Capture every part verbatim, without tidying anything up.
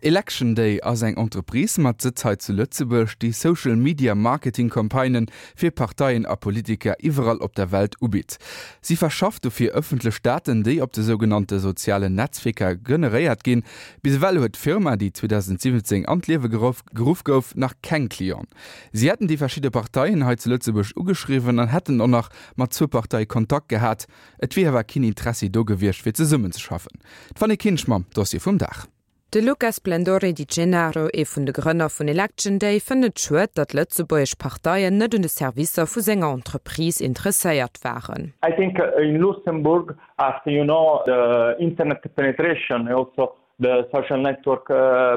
Election Day ass eng Entreprise mat Sëtz hei zu Lëtzebuerg, déi Social Media Marketing Campagnen fir Parteien a Politiker iwwerall op der Welt ubitt. Si verschafft dofir ëffentlech Daten, déi op de sougenannte sozialen Netzwierker generéiert ginn. Bis ewell huet d'Firma, déi zweedausendsiwwenzéng an d'Liewe geruff geruff gouf, nach keng Clienten. Si hätten déi verschidde Parteien hei zu Lëtzebuerg ugeschriwwen an hätten och nach mat zwou Parteie Kontakt gehat. Et wier awer keen Interessi do gewiescht, fir zesummenzeschaffen. D'Fanny Kinsch mam Dossier vum Dag. De Luca Splendore di Gennaro, ee vun de Grënner vun Election Day, fënnt et schued, datt lëtzebuergesch Parteien net un de Servicer vu senger Entreprise interesséiert waren. I think in Luxembourg, as you know, the internet penetration, also the social network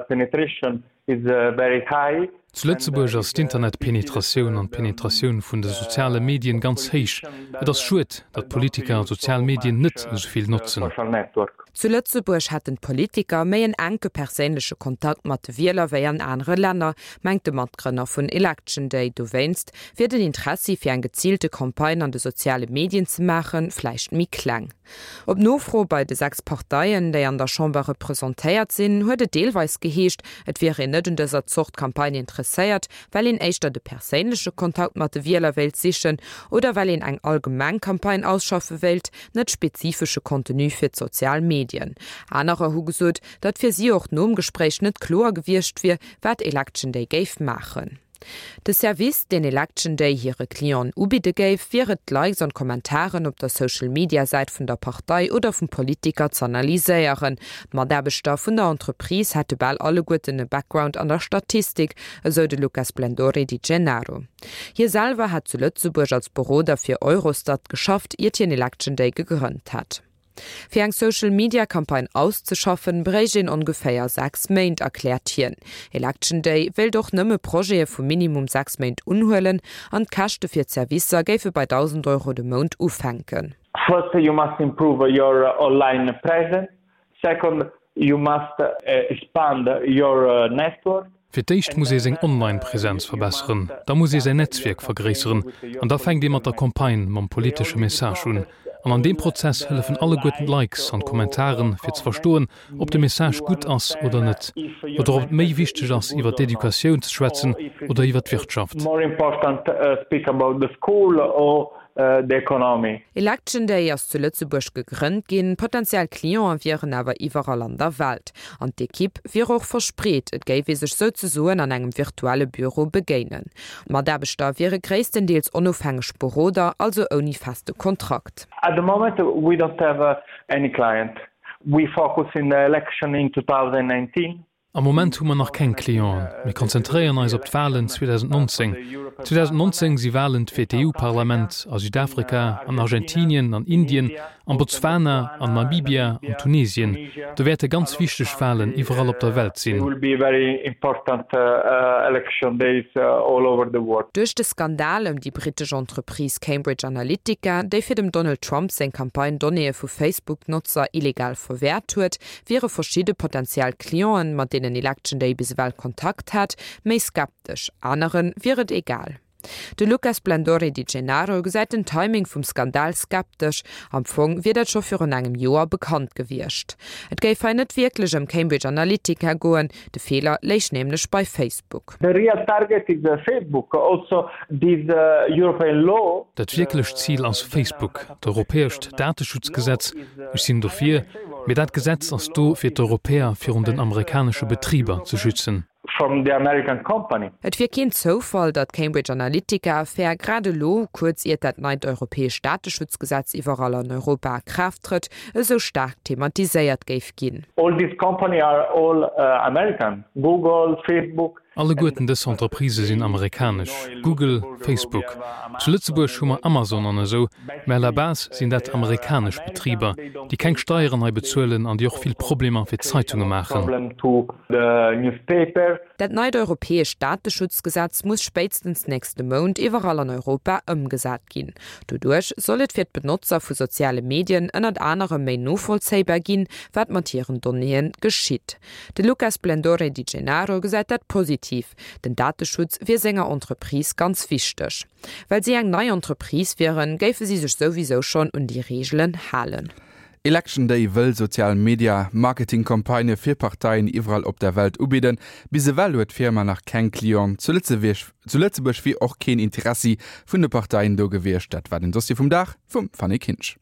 penetration is very high. Zu Lëtzebuerg ass d'Internetpenetratioun an d'Penetratioun vun de soziale Medien ganz héich. Et ass schued, datt d'Politiker d'sozial Medien net esou vill notzen. Zu Lëtzebuerg hätten d'Politiker méi en enke perséinleche Kontakt mat de Wieler wéi an anere Länner, mengt de Matgrënner vun Election Day. Dowéinst wier den Interessi fir eng geziilte Campagne an de soziale Medien ze maachen, vläicht méi kleng. Op Nofro bei de sechs Parteien, déi an der Chamber representéiert sinn, huet et deelweis geheescht, et wier een net un dëser Zort Campagne interesséiert, well een éischter de perséinleche Kontakt mat de Wieler wéilt sichen oder well een eng allgemeng Campagne ausschaffe wéilt, net spezifesche Contenu fir d'sozial Medien. Anerer hu gesot, datt fir si och nom Gespréich net kloer gewiescht wier, wat Election Day géif maachen. De Service, deen Election Day hire Clienten ubidde géif, wier et, d'Likes an d'Kommentaren op der Social-Media-Säit vun der Partei oder vum Politiker z'analyséieren. D'Mataarbechter vun der Entreprise hätte bal alleguerten e Background an der Statistik, esou de Luca Splendore di Gennaro. Hie selwer hätt zu Lëtzebuerg als Beroder fir Eurostat geschafft, iert hien Election Day gegrënnt hätt. Fir eng Social Media Campagne auszeschaffen, bréicht een ongeféier sechs Méint, erkläert hien. Election Day wéilt och nëmme Projete vu minimum sechs Méint unhuelen an d'Käschte fir d'Servicer géife bei dausend Euro de Mount ufänken. First you must improve your online presence, second you must expand your network. Fir d'éischt muss ee seng Online-Presenz verbesseren, da muss ee säin Netzwierk vergréisseren an da fänkt ee mat der Campagne, mam politesche Message un. An an deem Prozess hëllefen alleguerten d'Likes an d'Kommentaren, fir ze verstoen, ob de Message gutt ass oder net, oder ob et méi wichteg ass, iwwer d'Educatioun ze schwätzen oder iwwer d'Wirtschaft. Election Day ass zu Lëtzebuerg gegrënnt ginn, potentiell Cliente wieren awer iwwerall an der Welt. An d'Ekipp wier och verspreet, et géif ee sech souzesoen an engem virtuelle Büro begéinen. D'Mataarbechter wiere gréisstendeels onofhängeg Beroder, also ouni feste Kontrakt. At the moment we don't have any client. We focus in the election in two thousand nineteen. Am Moment hu mer nach keng Clienten. Mir konzentréieren eis op d'Walen zweedausendnonzéng. zweedausendnonzéng si Walen fir d'EU-Parlament a Südafrika, an Argentinien, an Indien, an Botswana, an Namibia, an Tunesien. Do wäerte ganz wichteg Walen iwwerall op der Welt sinn. Duerch de Skandal ëm déi brittesch Entreprise Cambridge Analytica, déi fir dem Donald Trump seng Campagne Donnéeë vu Facebook-Notzer illegal verwäert huet, wiere verschidde potentiell Clienten, mat deenen Election Day bis ewell Kontakt hat, méi skeptesch, anere wier et egal. De Luca Splendore di Gennaro gesäit den Timing vum Skandal skeptesch, am Fong wier dat scho virun engem Joer bekannt gewiescht. Et géif hei net wierklech ëm Cambridge Analytica goen, de Feeler léich nämlech bei Facebook. The real target is Facebook, also this European law. Dat wierklecht Zil ass Facebook, d'europäescht Dateschutzgesetz. Ech sinn dofir, mee dat Gesetz ass do fir d'Europäer virun den amerikanesche Betriber ze schützen. From the American company. Et wier keen Zoufall, datt d'Cambridge Analytica-Affär grad elo, kuerz iert dat neit europäescht Dateschutzgesetz iwwerall an Europa a Kraaft trëtt, esou staark thematiséiert géif ginn. All these company are all American, Google, Facebook. Alleguerten dës Entreprisë sinn amerikanesch, Google, Facebook. Zu Lëtzebuerg hu mer Amazon an esou, mä à la base sinn dat amerikanesch Betriber, déi keng Steieren hei bezuelen an déi och vill Problemer fir d'Zeitunge maachen. Dat neit europäescht Dateschutzgesetz muss spéitstens nächste Mount iwwerall an Europa ëmgesat ginn. Doduerch soll et fir d'Benotzer vu soziale Medien ënnert anerem méi novollzéibar ginn, wat mat hiren Donnéeë geschitt. De Luca Splendore di Gennaro gesäit dat positiv. Den Dateschutz wier senger Entreprise ganz wichteg. Well si eng nei Entreprise wieren, géife si sech souwisou schonn un déi Reegelen halen. Election Day wëll Sozial Media Marketing-Campagnë fir Parteien iwwerall op der Welt ubidden. Bis ewell huet d'Firma nach keng Clienten zu Lëtzebuerg. Zu Lëtzebuerg wier och keen Interessi vun de Parteien do gewiescht. Dat war den Dossier vum Dag vum Fanny Kinsch.